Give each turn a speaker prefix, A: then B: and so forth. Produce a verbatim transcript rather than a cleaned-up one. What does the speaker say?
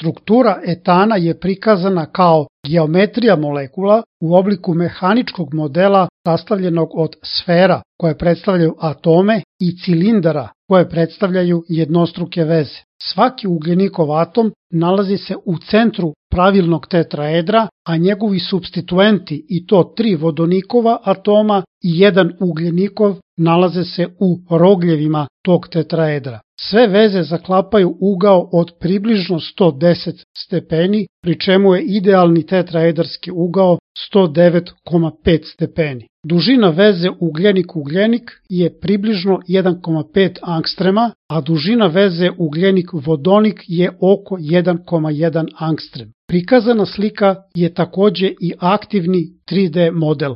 A: Struktura etana je prikazana kao geometrija molekula u obliku mehaničkog modela sastavljenog od sfera koje predstavljaju atome i cilindara koje predstavljaju jednostruke veze. Svaki ugljenikov atom nalazi se u centru pravilnog tetraedra, a njegovi supstituenti, i to tri vodonikova atoma i jedan ugljenikov, nalaze se u rogljevima tog tetraedra. Sve veze zaklapaju ugao od približno sto deset stepeni, pri čemu je idealni tetraedarski ugao sto devet zarez pet stepeni. Dužina veze ugljenik-ugljenik je približno jedan zarez pet angstrema, a dužina veze ugljenik-vodonik je oko jedan zarez jedan angstrem. Prikazana slika je takođe i aktivni tri D model.